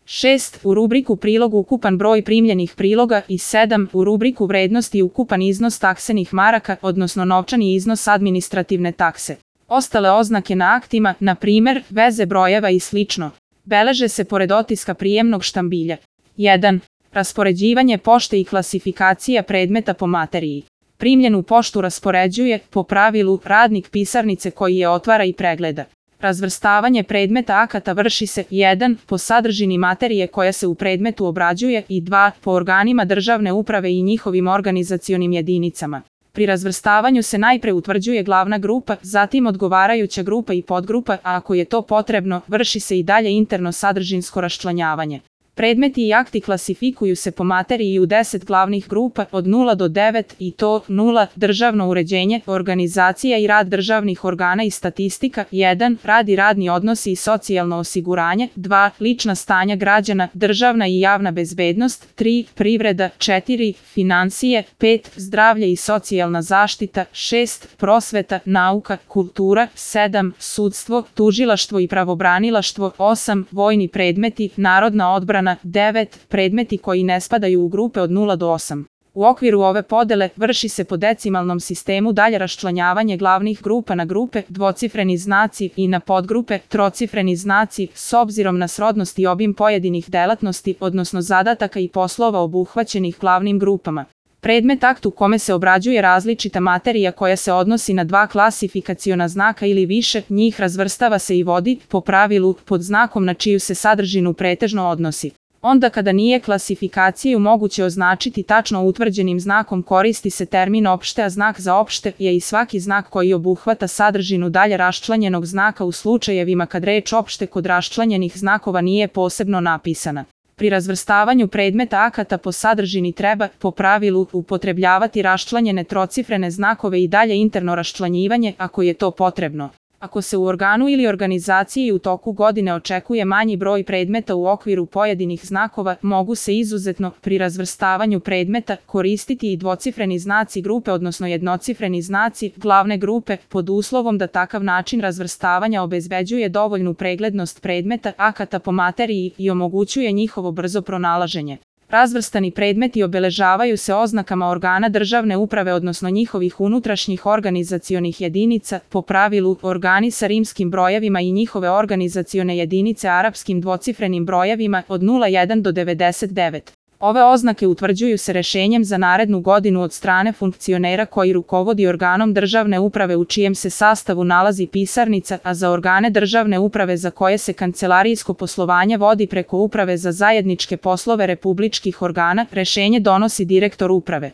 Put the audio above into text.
6. U rubriku prilog ukupan broj primljenih priloga i 7. U rubriku vrednosti ukupan iznos taksenih maraka, odnosno novčani iznos administrativne takse. Ostale oznake na aktima, na primer, veze brojeva i slično, beleže se pored otiska prijemnog štambilja. 1. Raspoređivanje pošte i klasifikacija predmeta po materiji. Primljenu poštu raspoređuje, po pravilu, radnik pisarnice koji je otvara i pregleda. Razvrstavanje predmeta akata vrši se 1. po sadržini materije koja se u predmetu obrađuje i 2. po organima državne uprave i njihovim organizacionim jedinicama. Pri razvrstavanju se najpre utvrđuje glavna grupa, zatim odgovarajuća grupa i podgrupa, a ako je to potrebno, vrši se i dalje interno sadržinsko raščlanjavanje. Predmeti i akti klasifikuju se po materiji u 10 glavnih grupa od 0 do 9 i to 0. Državno uređenje, organizacija i rad državnih organa i statistika, 1. Rad i radni odnosi i socijalno osiguranje, 2. Lična stanja građana, državna i javna bezbednost, 3. Privreda, 4. Finansije, 5. Zdravlje i socijalna zaštita, 6. Prosveta, nauka, kultura, 7. Sudstvo, tužilaštvo i pravobranilaštvo, 8. Vojni predmeti, narodna odbrana, 9. Predmeti koji ne spadaju u grupe od 0 do 8. U okviru ove podele vrši se po decimalnom sistemu dalje raščlanjavanje glavnih grupa na grupe, dvocifreni znaci i na podgrupe, trocifreni znaci, s obzirom na srodnost i obim pojedinih delatnosti, odnosno zadataka i poslova obuhvaćenih glavnim grupama. Predmet akt u kome se obrađuje različita materija koja se odnosi na 2 klasifikaciona znaka ili više, njih razvrstava se i vodi, po pravilu, pod znakom na čiju se sadržinu pretežno odnosi. Onda kada nije klasifikaciju moguće označiti tačno utvrđenim znakom koristi se termin opšte, a znak za opšte je i svaki znak koji obuhvata sadržinu dalje raščlanjenog znaka u slučajevima kad reč opšte kod raščlanjenih znakova nije posebno napisana. Pri razvrstavanju predmeta akata po sadržini treba, po pravilu, upotrebljavati raščlanjene trocifrene znakove i dalje interno raščlanjivanje ako je to potrebno. Ako se u organu ili organizaciji u toku godine očekuje manji broj predmeta u okviru pojedinih znakova, mogu se izuzetno, pri razvrstavanju predmeta, koristiti i dvocifreni znaci grupe, odnosno jednocifreni znaci glavne grupe, pod uslovom da takav način razvrstavanja obezbeđuje dovoljnu preglednost predmeta akata po materiji i omogućuje njihovo brzo pronalaženje. Razvrstani predmeti obeležavaju se oznakama organa državne uprave, odnosno njihovih unutrašnjih organizacionih jedinica, po pravilu organi sa rimskim brojevima i njihove organizacione jedinice arapskim dvocifrenim brojevima od 01 do 99. Ove oznake utvrđuju se rešenjem za narednu godinu od strane funkcionera koji rukovodi organom državne uprave u čijem se sastavu nalazi pisarnica, a za organe državne uprave za koje se kancelarijsko poslovanje vodi preko Uprave za zajedničke poslove republičkih organa, rešenje donosi direktor uprave.